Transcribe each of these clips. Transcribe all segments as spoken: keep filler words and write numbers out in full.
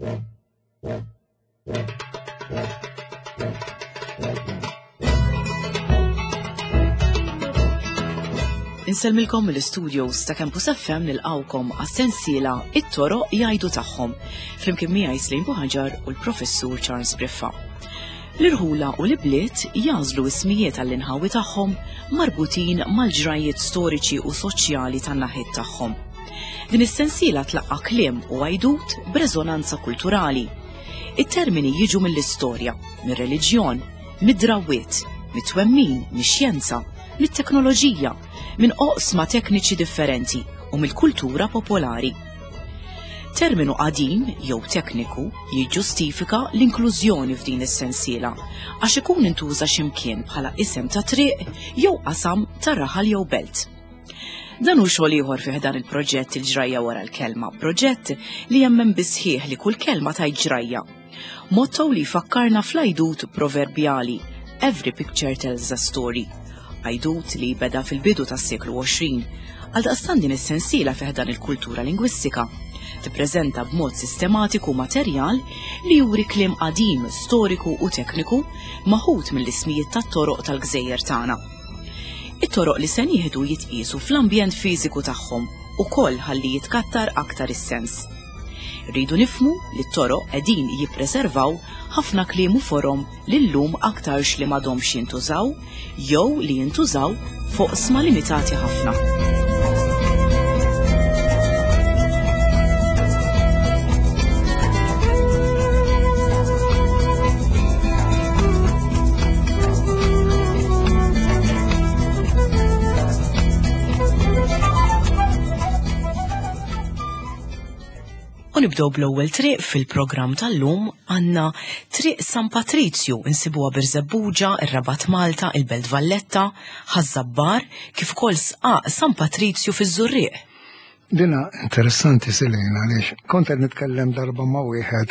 Insellmilkom mill-studios ta' Campus F M, nilqgħukom għas-sensiela It-Toroq Jgħidu Tagħhom, flimkien miegħi Slim Buħaġar u l-Professur Charles Briffa. L-irħula u l-bliet jagħżlu ismijiet għall-inħawi tagħhom marbutin mal-ġrajiet storiċi u soċjali tan-naħiet tagħhom. Din is-sensiela tlaqqa kliem u għajdut b'reżonanza kulturali. It-termini jiġu mill-istorja, mir-reliġjon, mid-drawwiet, mit-twemmin, mix-xjenza, mit-teknoloġija, minn oqsma tekniċi differenti u mill-kultura popolari. Terminu qadim jew tekniku jiġġustifika l-inklużjoni f'din is-sensiela għax ikun intuża x'imkien bħala isem ta' triq jew qasam ta' raħal jew belt. Dan hu xogħol ieħor fih dan il-proġett Il-Ġrajja Wara l-Kelma, proġett li jemmen bisħieħ li kull kelma ta' ġrajja. Motto li fakkarna fl-għajdut proverbjali "Every picture tells a story". Għajdut li beda fil-bidu tas-seklu għoxrin. Għaldaqstant din is-sensiela fih dan il-kultura lingwistika tippreżenta b'mod sistematiku materjal li juri kliem qadim, storiku u tekniku maħut mill-ismijiet tat-toroq tal-gżejjer tagħna. It-toroq li se nieħdu jitqiesu fl-ambjent fiżiku tagħhom ukoll ħalli jitkattar aktar is-sens. Rridu nifhmu li t-toroq qegħdin jippreservaw ħafna kliem u forom li llum aktarx li m'għadhomx jintużaw jew li jintużaw f'oqsma limitati ħafna. U nibdew bl-ewwel triq fil-programm tal-lum. Għandna Triq San Patrizju, insibuha Birżebbuġa, ir-Rabat Malta, il-Belt Valletta, Ħaż-Żabbar, kif ukoll Sqaq San Patrizju fiż-Żurrieq. Dina interessanti, Selena, għaliex kont qed nitkellem darba ma' wieħed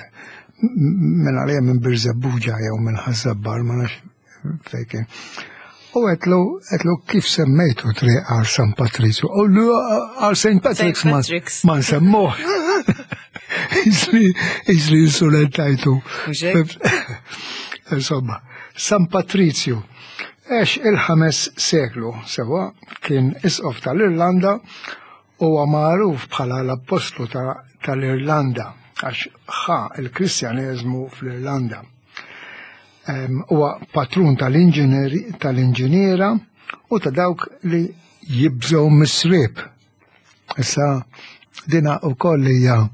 minn għalija minn Birżebbuġa jew minn Ħaż-Żabbar, ma nafx fejn kien. U għedtlu, għedtlu kif semmejtu triq għal San Patrizju? U lu għal Saint Patrick's ma Patrick's. Ma nsemmuh. Iżli, iżli insulentajtu. Mhux hekk? Insomma, San Patrizju. Għex il-ħames seklu, sewa, kien isqof tal-Irlanda u huwa magħruf bħala l-apostlu ta- tal-Irlanda għax ħa il-Kristjaneżmu fl-Irlanda. Em, Huwa patrun tal-inġinieri- tal-inġiniera u ta' dawk li jibżgħu mis-sriep. Issa dina ukoll hija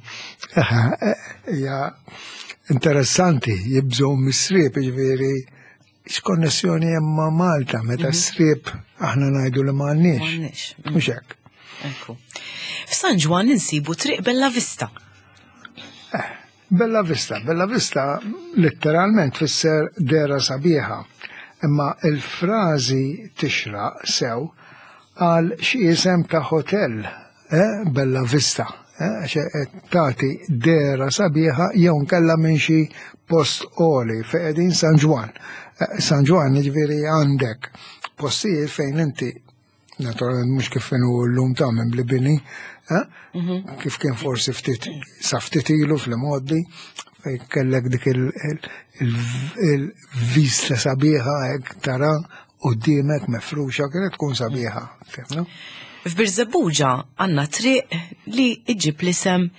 hija interessanti, jibżgħu mis-sriep, jiġifieri x'konnessjoni hemm ma' Malta meta s-sriep aħna ngħidu li m'għandniex. M'għandniex. Mhux hekk. Ekku. F'San Ġwann insibu Triq Bella Vista. Bella Vista, Bella Vista letteralment tfisser dera sabiħa, imma il-frażi tixraq sew għal xi isem ta' hotel, eh? Bella Vista, eh? Għax qed tagħti dera sabiħa jew nkella minn xi post għoli fejn qegħdin San Ġwann. Eh, San Ġwann, jiġifieri għandek postijiet fejn inti naturalment mhux kif inhu llum ta' minn bli bini, eh? Kif kien forsi ftit sa ftit ilu fl-modi fejn kellek dik il-vista sabiħa hekk tara quddiemek mefruxa, kienet tkun sabiħa, fhimna? F'Birżebbuġa għandna triq li iġib l-isem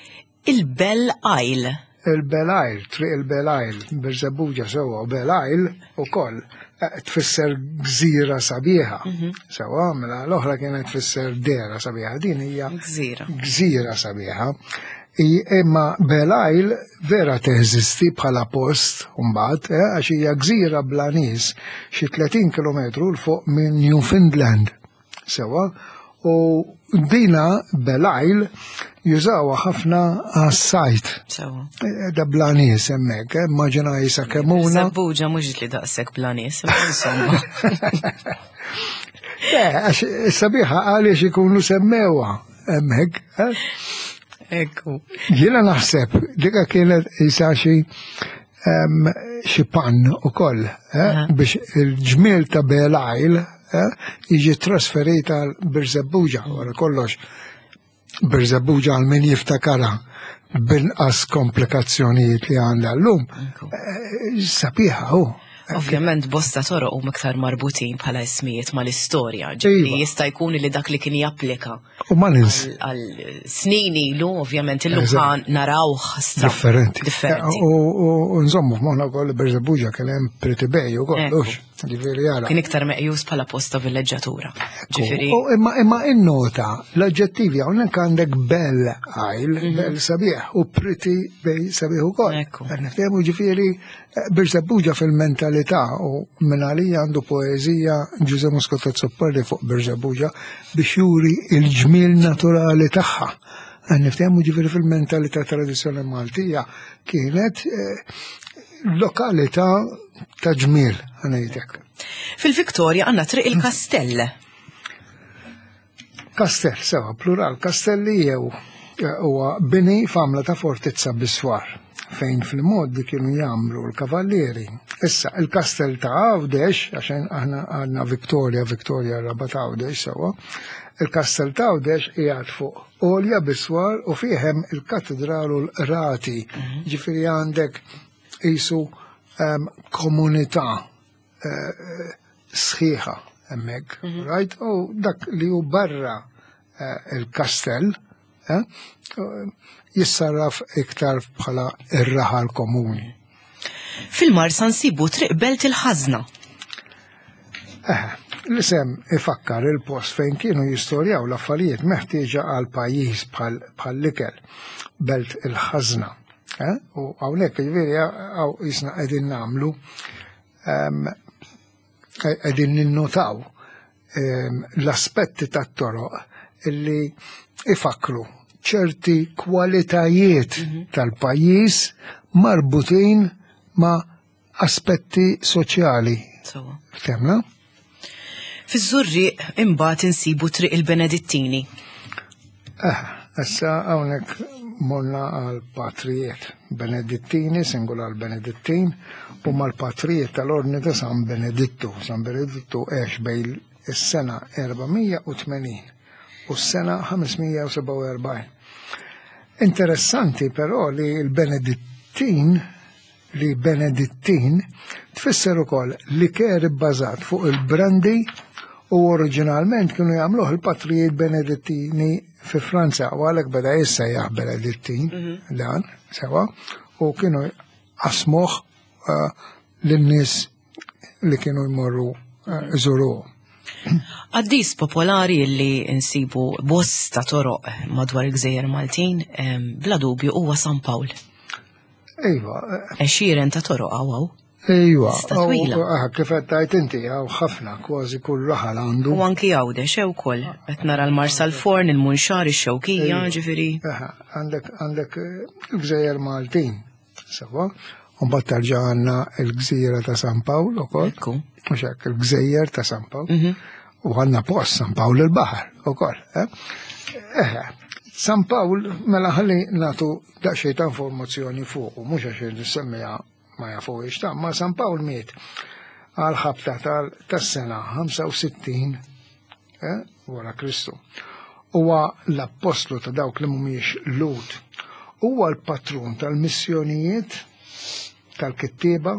il-Bell Isle. Il-Bell Isle, Triq il-Bell Isle, Birżebbuġa, sewa, u Bell Isle ukoll eh, tfisser gżira sabiħa. Sewa, mela l-oħra kienet tfisser dera sabiħa, din hija Gżira. Gżira sabiħa. I- Imma Bell Isle vera teżisti bħala post mbagħad, eh, għax hija gżira bla nies xi tletin kilometru 'l fuq minn Newfoundland. Sewa, u dina Bell Isle jużawha ħafna għas-sajt. Sewa. Eh, Da bla nies hemmhekk, eh, immaġina jisa Kemmuna. Żebbuġa mhux li daqshekk bla nies, imma insomma. Eh, għax sabiħa għaliex ikunu semmewha hemmhekk. Eh? Ekku. Jiena naħseb dika kienet isa xi em, xi pan ukoll eh, Aha. biex il-ġmiel ta' Bell Isle eh, jiġi trasferita għal Birżebbuġa. Wara kollox, Birżebbuġa, għal min jiftakara B'inqas komplikazzjonijiet li għandha llum, eh, sabiħa hu. Ovvjament bosta toroq huma iktar marbutin bħala ismijiet mal-istorja, ġifieri Iva. jista' jkun li dak li kien japplika U ma nins għal snin ilu, ovvjament illum Eżatt. ħa narawh stra- differenti. Differenti. U u- u nżommu f'moħħna wkoll li Birżebbuġa kien hemm Pretty Bay ukoll, Ekku. hux. Ġifieri jara. Kien iktar meqjus bħala post ta' villeġġatura. Ġifieri U imma imma innota l-oġġettivi hawnhekk għandek Belle Isle, Belle sabiħ, u Pretty Bay sabiħ ukoll. Ekku. Qed niftehmu ġifieri eh, Birżebbuġa fil-mentalità u minn għalija għandu poeżija Ġuże Muscat Azzopardi fuq Birżebbuġa biex juri il-ġmiel naturali tagħha. Qed niftehmu ġifieri fil-mentalità tradizzjonali Maltija kienet eh, lokalità ta' ġmiel, ħa ngħidlek. Fil-Viktorja għandna Triq il-Kastell. Kastell, sewa, plural, kastelli jew eh, huwa bini f'għamla ta' fortizza biswar fejn fil-mod kienu jagħmlu l-kavallieri. Issa, il-kastell ta' Għawdex, għaxen aħna għandna Victoria, Victoria Rabat Għawdex, sewa, il-kastell ta' Għawdex qiegħed fuq għolja biswar u fih hemm il-katedral u l-rati. Ġifieri għandek qisu em, komunità eh, sħiħa hemmhekk, right? U dak li hu barra eh, il-kastell eh, jissarraf iktar bħala ir-raħal komuni. Fil-Marsa nsibu Triq Belt il-Ħażna. Eh, l-isem ifakkar il-post fejn kienu jistorjaw l-affarijiet meħtieġa għal pajjiż bħal bħal-ikel, Belt il-Ħażna. Eh? U hawnhekk jiġifieri hawn qisna qegħdin nagħmlu em, qegħdin ninnotaw em, l-aspetti tat-toroq illi ifakru ċerti kwalitajiet tal-pajjiż marbutin ma' aspetti soċjali. Sewa. Ftemna? Fiż-Żurrieq imbagħad insibu Triq il-Benedittini. Eh, issa hawnhekk morna għal patrijiet. Benedittini, singular Benedittin, u mal-patrijiet tal-ordni ta' San Benedittu. San Benedittu għex bejn is-sena erba' mija u tmenin u s-sena ħames mija u sebgħa u erbgħin. Interessanti però li l-Benedittin li Benedittin tfisser ukoll liker ibbażat fuq il-brandy u oriġinalment kienu jagħmluh il-patrijiet Benedittini fi Franza u għalhekk beda jissejjaħ Benedittin dan sewa u kienu qasmuh uh, lin-nies li kienu jmorru uh, iżuruh. Qaddis popolari li nsibu bosta toroq madwar il-Gżejjer Maltin, em, bla dubju huwa San Pawl. Iva, eh, Għexieren ta' toroq hawn. Iva, Lista twila. u- ah, kif qed tgħid inti hawn ħafna kważi kull raħal għandu. U anki Għawdex ukoll. Qed nara l-Marsalforn, il-Munxar, ix-Xewkija, ġifieri. Aha, għandek għandek eh, il-Gżejjer Maltin, sewa, u mbagħad tarġa' għandna il-Gżira ta' San Pawl ukoll. Ekku. Mhux hekk, il-Gżejjer ta' San Pawl. Mhm. U għandna post San Pawl il-Baħar ukoll. Eh? Eh, San Pawl mela ħalli nagħtu daqsxejn ta' informazzjoni fuq, mhux għax nissemmiha ma jafuhiex ta' ma San Pawl miet għal ħabta tal- tas-sena ħamsa u sittin eh, wara Kristu. Huwa l-appostlu ta' dawk li mhumiex Lhud. Huwa l-patrun tal-missjonijiet, tal-kittieba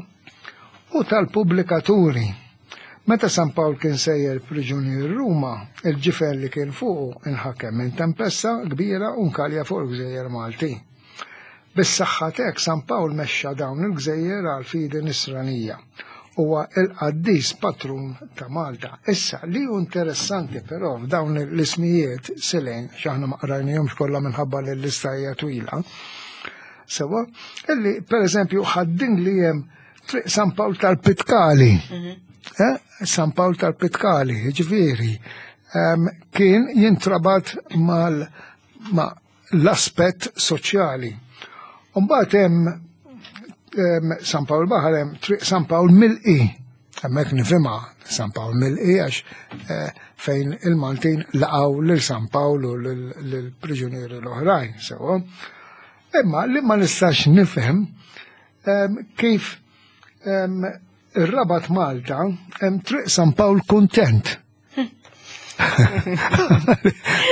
u tal-pubblikaturi. Meta San Pawl kien sejjer priġunier Ruma, il-ġifen li kien fuqu inħakem minn tempesta kbira u nkalja fuq il-Gżejjer Maltin. Bis-saħħa t'hekk San Pawl mexxa dawn il-gżejjer għal fidi nisranija. Huwa il-qaddis patrun ta' Malta. Issa li hu interessanti però f'dawn l-ismijiet silejn, x'aħna ma qrajnihomx kollha minħabba li l-lista hija twila. Sewa, illi per eżempju Ħad-Dingli hemm Triq San Pawl tal-Pitkali. Eh? San Pawl tal-Pitkali, ġifieri, em, kien jintrabat mal ma l-aspett soċjali. Umbagħad hemm em, San Pawl Baħar hemm Triq San Pawl Milqi. Hemmhekk nifhimha San Pawl Milqi għax eh, fejn il-Maltin laqgħu lil San Pawl u lil-priġunieri l-oħrajn, sewa. Imma li ma nistax nifhem em, kif em, ir-Rabat Malta hemm Triq San Pawl Kuntent.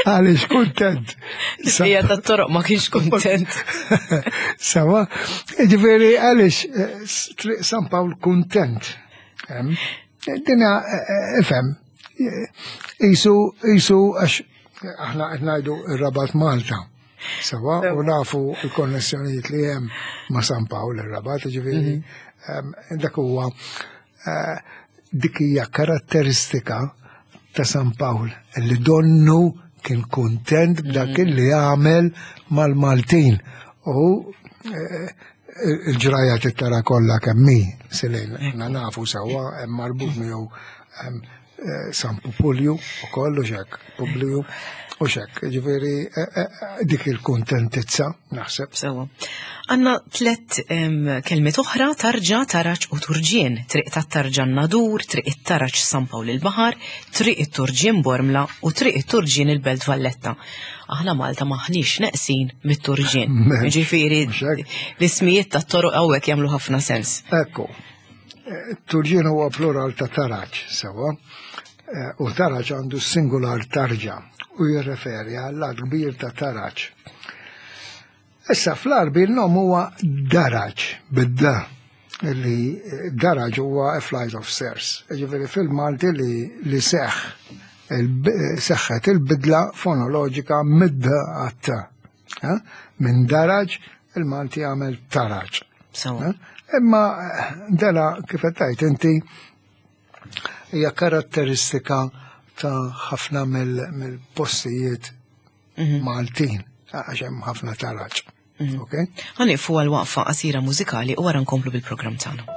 Għaliex kuntent. Hija tat-toroq ma kienx kuntent. Sawa, ġifieri għaliex Triq San Pawl kuntent. Dina ifhem, isu isu għax aħna qed ngħidu r-Rabat Malta. Sawa, u nafu l-konnessjonijiet li hemm ma' San Pawl ir-Rabat, ġifieri dak huwa dik hija karatteristika ta' San Pawl li donnu kien kuntent b'dak li għamel mal-Maltin. U il-ġraja tittara kollha kemm hi, Silejn, aħna nafu sewwa hemm marbut miegħu San Pupulju u kollu xek, Publiju u xek, ġifieri dik il-kuntentizza naħseb. Sewwa. Għandna tlet kelmiet oħra, tarġa, taraġ u turġien. Triq tat-Tarġa Nadur, Triq it-Taraġ San Pawl il-Baħar, Triq it-Turġien Bormla u Triq it-Turġien il-Belt Valletta. Aħna Malta maħniex neqsin mit-turġien. Ġifieri l-ismijiet tat-toroq hawnhekk jagħmlu ħafna sens. Ekku. Turġien huwa plural ta' taraġ, sewwa. U taraġ għandu singular tarġa u jirreferi għal kbir ta' taraġ. Issa fl-Arbi l-nom huwa daraġ, bid-da, li daraġ huwa a flight of stairs. Ġifieri fil-Malti li, li seħ, seħħet il-bidla fonoloġika mid-da għat-ta. Minn daraġ il-Malti għamel taraġ. Imma dela kif qed tgħid inti hija karatteristika ta' ħafna mill-postijiet Maltin, għax hemm ħafna taraġ. Ħa nieqfu għal waqfa qasira mużikali u wara nkomplu bil-programm tagħna.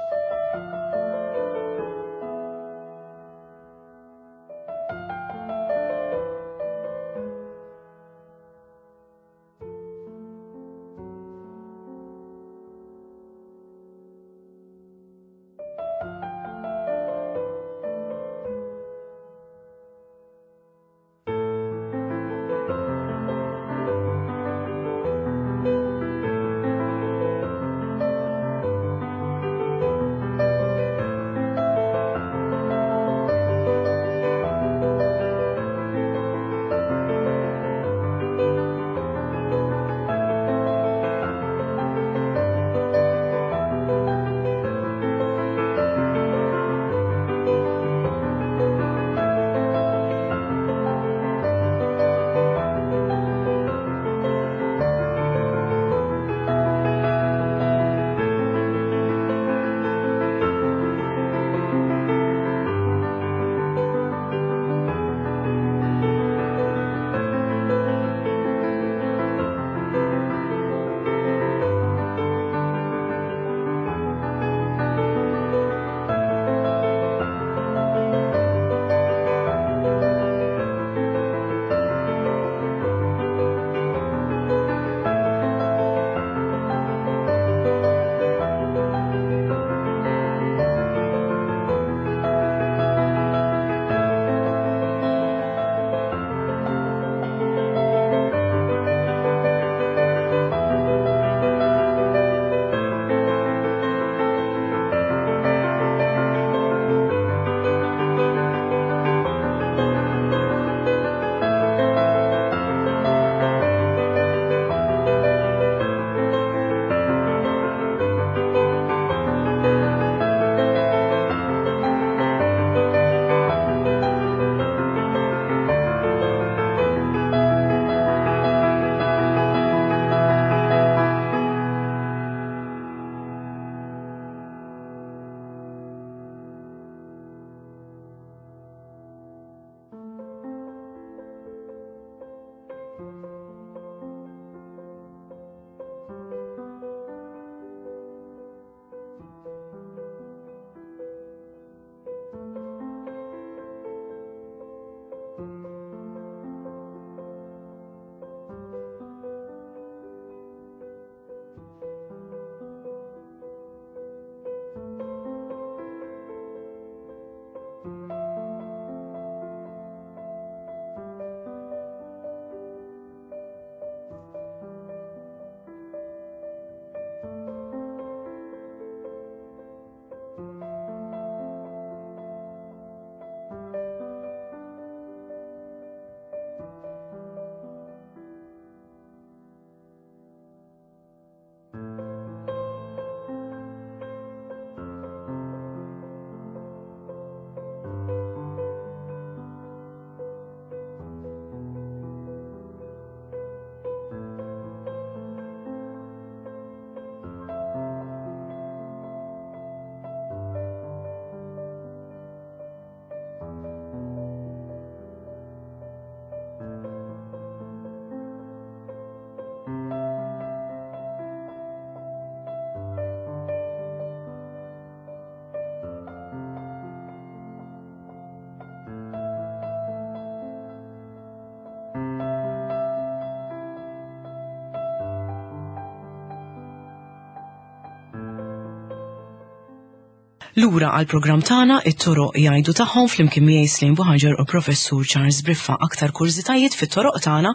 Lura għal programm tagħna it-toroq jgħidu tagħhom flimkien miegħi Slim Buħaġar u Professur Charles Briffa. Aktar kurżitajiet fit-toroq tagħna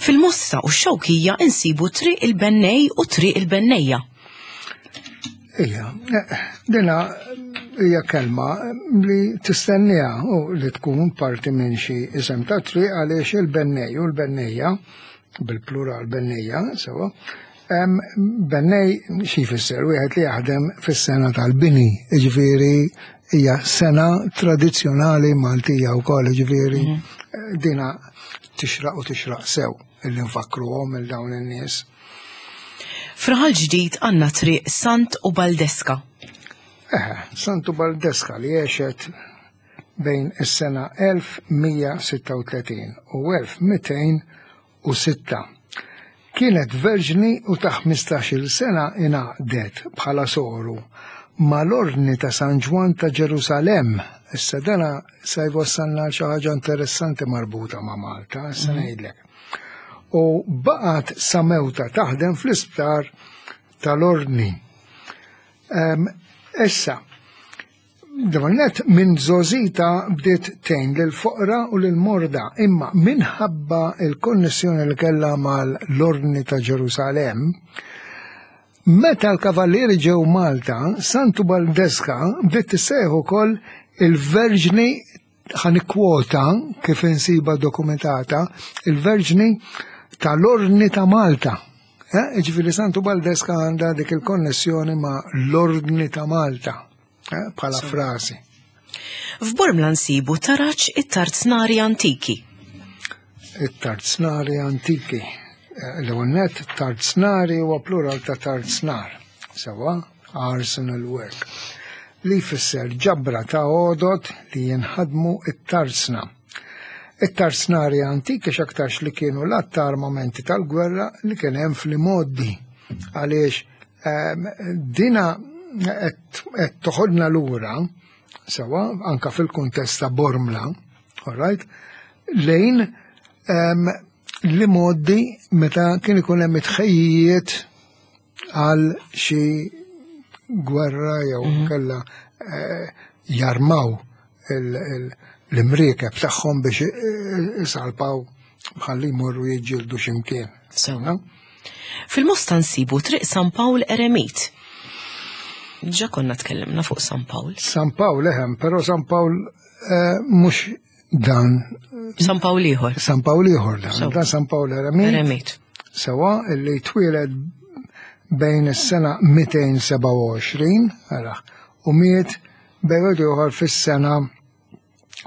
fil-Mosta u x-Xewkija insibu Triq il-Bennej u Triq il-Bennejja. Ija, eh, dina hija kelma li tistennija u li tkun parti minn xi isem ta' triq għaliex il-bennej u l-bennejja, bil-plural bennejja, sewa, em, bennej xi jfisser wieħed li jaħdem fis-sena tal-bini, jiġifieri hija sena tradizzjonali Maltija wkoll, jiġifieri eh, dina tixraq u tixraq sew illi nfakruhom il dawn in-nies. F'Raħal Ġdid għandna Triq Sant u Baldeska. Eh, Santu Baldeska li għexet bejn is-sena elf mija sitta u tletin u elf mitejn u sitta. Kienet verġni u ta' ħmistax-il sena ingħaqdet bħala soru mal-Ordni ta' San Ġwan ta' Ġerusalem. Issa dana sa jwassalna għal xi ħaġa interessanti marbuta ma' Malta, issa ngħidlek. U baqgħet sa mewta taħdem fl-isptar tal-Ordni. Em, Issa, Dawnet minn żgħożitha bdiet tgħin lil foqra u lil morda, imma minħabba il-konnessjoni li kellha mal-Ordni ta' Ġerusalem, meta l-kavallieri ġew Malta, Santu Baldeska bdiet tissejjaħ ukoll il-Verġni, ħa nikkwota kif insiba dokumentata, il-Verġni tal-Ordni ta' Malta. Eh, Ġifieri Santu Baldeska għandha dik il-konnessjoni ma' l-Ordni ta' Malta, eh, bħala frasi. F'Bormla nsibu taraġ it-Tarznari Antiki. It-tarznari antiki. Eh, L-ewwel tarznari huwa plural ta' tarznar, sewa arsenal work, li jfisser ġabra ta' għodod li jinħadmu it-tarzna. It-tarznari antiki x'aktarx li kienu l ta' armamenti tal-gwerra li kien hemm fl-imgħoddi. Għaliex ehm, dina qed toħodna lura, sewa, anka fil-kuntest ta' Bormla, all right, lejn um, l-imgħoddi meta kien ikun hemm itħejjijiet għal xi gwerra jew kella eh, jarmaw il- il- l-imriekeb tagħhom biex eh, isalpaw bħalli jmorru jiġġieldu x'imkien. Sewa. Fil-Mosta nsibu Triq San Pawl Eremit. Ġa konna tkellimna fuq San Pawl. San Pawl eħem, però San Pawl eh, mhux dan. San Pawl ieħor. San Pawl ieħor dan, Sewa. dan San Pawl Eremit. Eremit. Sewa illi twieled bejn is-sena mitejn sebgħa u għoxrin ara, u miet bejn ieħor fis-sena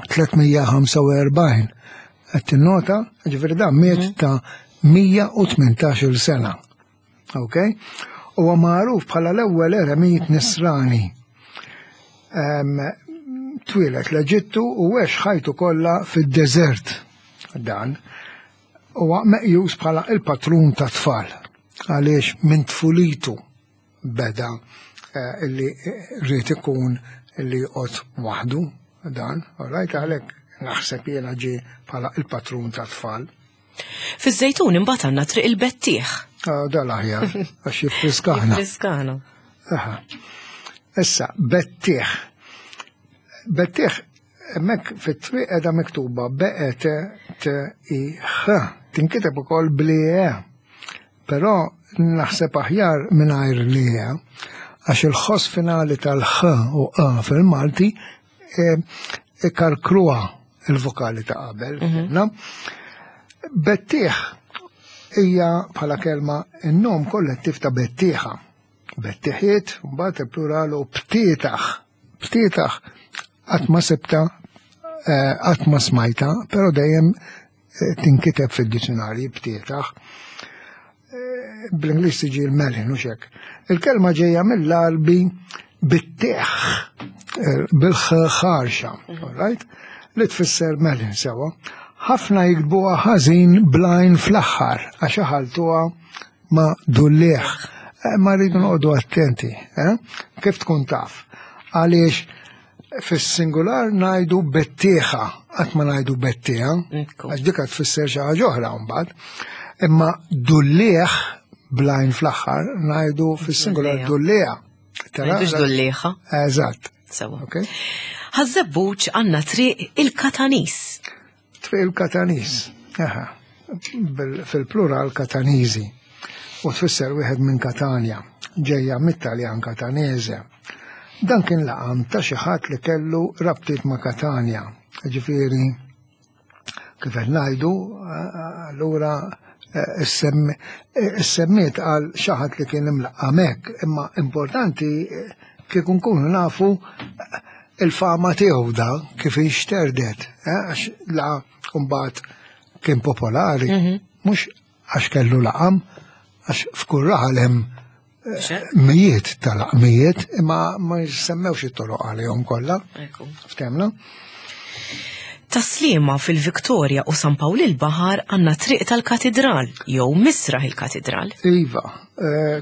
tliet mija ħamsa u erbgħin. Qed tinnota, ġifieri dan miet ta' mija u tmintax-il sena. Ok? Huwa magħruf bħala l-ewwel eremit nisrani. Em, Twieled l-Eġittu u għex ħajtu kollha fid-deżert. Dan huwa meqjus bħala il-patrun ta' tfal għaliex minn tfulitu beda eh, illi rrid ikun illi joqgħod waħdu dan, all right, għalhekk naħseb jiena ġie bħala il-patrun ta' tfal. Fiż-Żejtun imbagħad għandna Triq il-Bettieħ. Ah, Da l-aħjar, għax jiffriskana. Friskana. Aha. Issa, bettieħ. Bettieħ, hemmhekk fit-triq qiegħda miktuba B E T T I H. Tinkiteb ukoll bli E. Però naħseb aħjar mingħajr li E, għax il-ħoss finali tal-H u A fil-Malti e, ikarkruha il-vokali ta' qabel. Na? Bettieħ hija bħala kelma in-nom kollettiv ta' bettieħa. Bettieħiet, mbagħad il-plural u btietaħ. Btietaħ qatt ma sibta, eh, qatt ma smajta, però dejjem eh, tinkiteb fid-dizzjonarji btietaħ. Eh, Bl-Ingliż tiġi l-melon u xek. Il-kelma ġejja mill-Arbi bittieħ, bil-ħarxa, all right? Li tfisser melon sewa. Ħafna jiktbuha ħażin bl-għajn fl-aħħar għax iħalltuha ma' dulliegħ. Eh, Ma rridu noqogħdu attenti, eh? Kif tkun taf? Għaliex fis-singular ngħidu bettieħa, qatt ma ngħidu bettieħa, Ekku. għax dik tfisser xi ħaġa oħra mbagħad. Imma dulliegħ bl-għajn fl-aħħar ngħidu fis-singular Dulliegħa. dulliegħa. Tara? Ngħidux dullieħa. Eżatt. Sewa. Okay? Ħaż-Żebbuġ għandna triq il-Katanis. Triq il-Katanis. Aha. Fil-plural Katanizi. U tfisser wieħed minn Katanja, ġejja mit-Taljan Katanese. Dan kien laqam ta' xi ħadd li kellu rabtiet ma' Katanja. Ġifieri kif qed ngħidu, allura issemmiet għal xi ħadd li kien imlaqqam hekk, imma importanti kieku nkunu nafu il-fama tiegħu da kif inxterdet, għax la mbagħad kien popolari, mhux għax kellu laqam, għax f'kull raħal hemm mijiet tal-laqmijiet, imma ma jissemmewx it-toroq għalihom kollha. Ftemna? Tas-Sliema fil-Viktoria u San Pawl il-Baħar għandna triq tal-Katidral, jew Misraħ il-Katidral. Iva,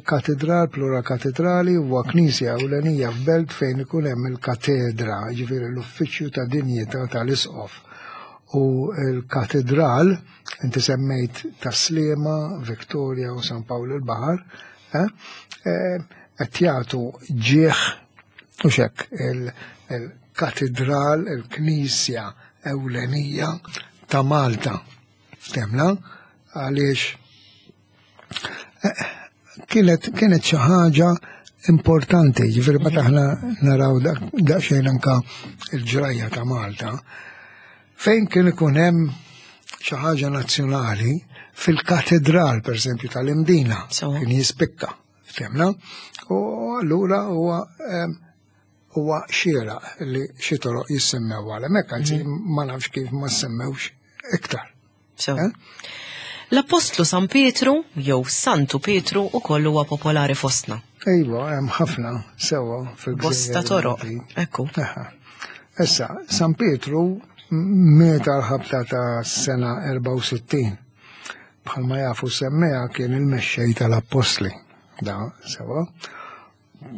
katedral, plura katedrali, huwa knisja ewlenija f'belt fejn ikun hemm il-katedra, ġifieri l-uffiċċju ta' dinjità tal-isqof. U l-katedral, inti semmejt Tas-Sliema, Viktoria u San Pawl il-Baħar, qed jagħtu ġieħ u xek il-katedral, il-knisja ewlenija ta' Malta. Ftemna? Għaliex kienet kienet xi ħaġa importanti, ġifieri meta aħna naraw daqsxejn anka l-ġrajja ta' Malta, fejn kien ikun hemm xi ħaġa nazzjonali fil-katedral, per esempio, tal-Imdina, kien jispikka, ftemna? U allura huwa huwa xieraq li xi toroq jissemmew għal hemmhekk, anzi ma nafx kif ma semmewx iktar. L-Apostlu San Pietru jew Santu Pietru ukoll huwa popolari fostna. Iva, hemm ħafna sewwa fil-gżejjer. Bosta toroq, ekku. Issa, San Pietru miet għal-ħabta ta' sena erbgħa u sittin. Bħalma jafu semmeha kien il-mexxej tal-Appostli. Da, sewwa.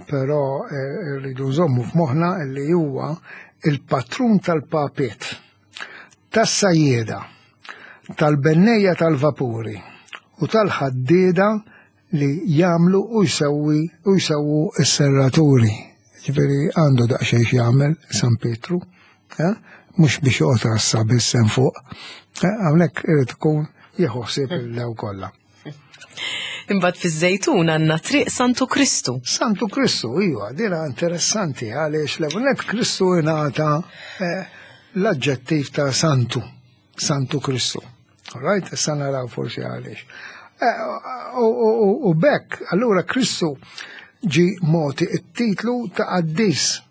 Però rridu nżommu f'moħħna li huwa il-patrun tal-papiet, tas-sajjieda, tal-bennejja tal-vapuri u tal-ħaddieda li jagħmlu u jsewwi u jsewwu s-serraturi. Ġifieri għandu daqsxejn x'jagħmel San Pietru, mhux biex joqgħod rassa biss hemm fuq. Hawnhekk irid ikun jieħu ħsieb il-lew kollha. Imbagħad fiż-Żejtun għandna triq Santu Kristu. Santu Kristu, iva, dina interessanti għaliex l-ewwel Kristu ingħata l-aġġettiv ta' Santu, Santu Kristu. All right, issa naraw forsi għaliex. U bekk, allura Kristu ġi moti it-titlu ta' qaddis.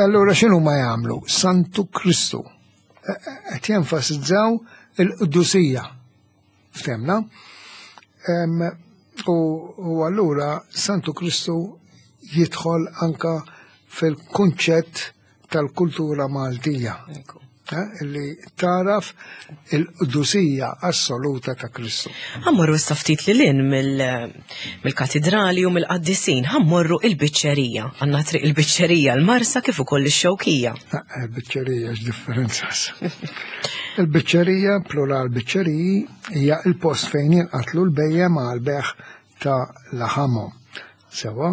Allura x'inhu ma jagħmlu? Santu Kristu. Qed jenfasizzaw il-qdusija. Ftemna? U allura Santu Kristu jidħol anka fil-kunċett tal-kultura Maltija. Li taraf il-qdusija assoluta ta' Kristu. Ħammorru issa ftit lil hinn mill-katedrali u mill-qaddisin, ħammorru il-biċċerija. Għandna triq il-biċċerija l-Marsa kif ukoll ix-Xewkija. Il-biċċerija x'differenza. Il-biċċerija, plural biċċeriji, hija il-post fejn jinqatlu l-bejjem għal beħ ta' laħamhom. Sewa,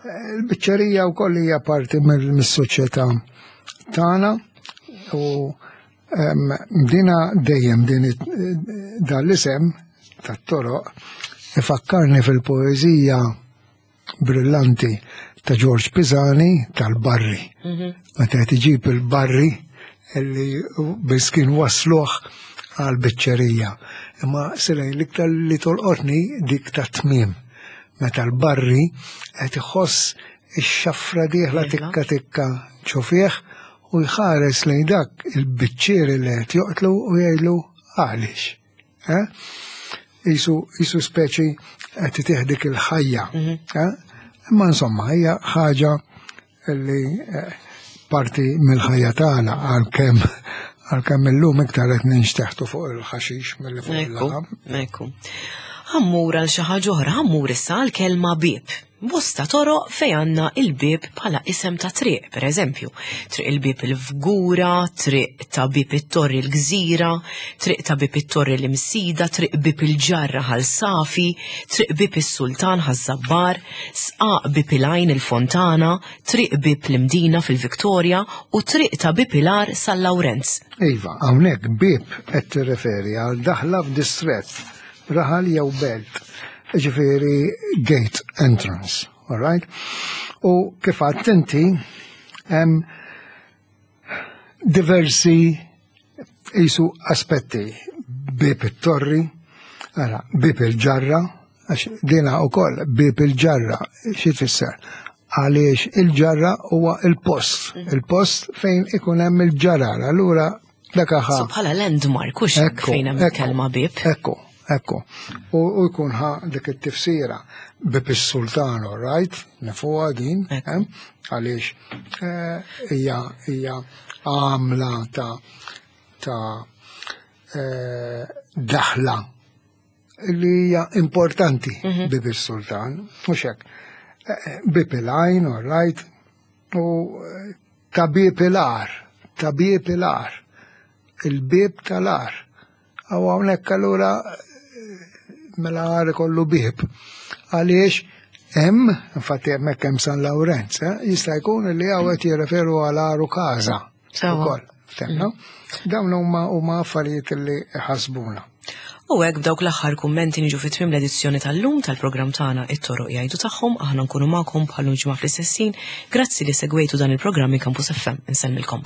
il-biċċerija wkoll hija parti mis-soċjetà tagħna. U dina dejjem din dan l-isem tat-toroq ifakkarni fil-poeżija brillanti ta' George Pisani tal-Barri. Meta qed iġib il-Barri illi biss kien wasluh għal-biċċerija. Imma silej l-iktar li tolqotni dik ta' tmiem. Meta l-Barri qed iħoss ix-xafra dieħla tikka tikka ċofieħ u jħares lejn dak il-biċċieri li qed joqtlu u jgħidlu għaliex. Isu speċi qed tieħdik il-ħajja. Imma insomma hija ħaġa li parti mill-ħajja tagħna għalkemm għalkemm illum iktar qed ninxteħtu fuq il-ħaxix milli fuq il-laħam. Ekku. Ħammur għal xi ħaġa oħra, ħammur issa għall-kelma bieb. Bosta toroq fej għandna il-bib bħala isem ta' triq, per eżempju, Triq il-Bib il-Fgura, Triq ta' Bib it-Torri l-Gżira, Triq ta' Bib it-Torri l-Imsida, Triq Bib il-Ġarra Ħal Safi, Triq Bib is-Sultan Ħaż-Żabbar, Sqaq Bib il-Għajn il-Fontana, Triq Bib l-Imdina fil-Viktorja u Triq ta' Bib il-Għar San Lawrenz. Iva, hawnhekk bib qed tirreferi għal daħla f'distrett, raħal jew belt, ġifieri gate entrance, all right? U kif għedt inti, hemm diversi jisu aspetti, bib it-torri, ara, bib il-ġarra, għax dina u koll, bib il-ġarra, xi tfisser? Għaliex il-ġarra huwa il-post, il-post fejn ikun hemm il-ġarar, allura dak ħa. So bħala landmark, u fejn hemm il-kelma bib. Ekku, ekku. U u jkun ħa dik it-tifsira bib is-sultan, all right? Nafuha din, Ekku. eh? Għaliex eh, hija hija għamla ta' ta' eh, daħla li hija importanti bib is-sultan, mhux hekk. Eh, Bib il-għajn, all right? U eh, ta' bib il-għar, ta' bib il-għar, il-bib tal-għar. Għaw hawnhekk allura eh, mela għar ikollu bib. Għaliex hemm, infatti hemmhekk hemm San Lawrenz, eh, jista' jkun li hawn qed jirreferu għal Għarukaża. Sewwa. Ukoll, ftemna? Dawn huma huma affarijiet li ħasbuna. U hekk b'dawk l-aħħar kummenti niġu fi tmiem l-edizzjoni tal-lum tal-programm tagħna It-Toroq Jgħidu Tagħhom. Aħna nkunu magħkom bħal ġimgħa fl-istess ħin. Grazzi li segwejtu dan il-programm minn Campus F M. Insellmilkom.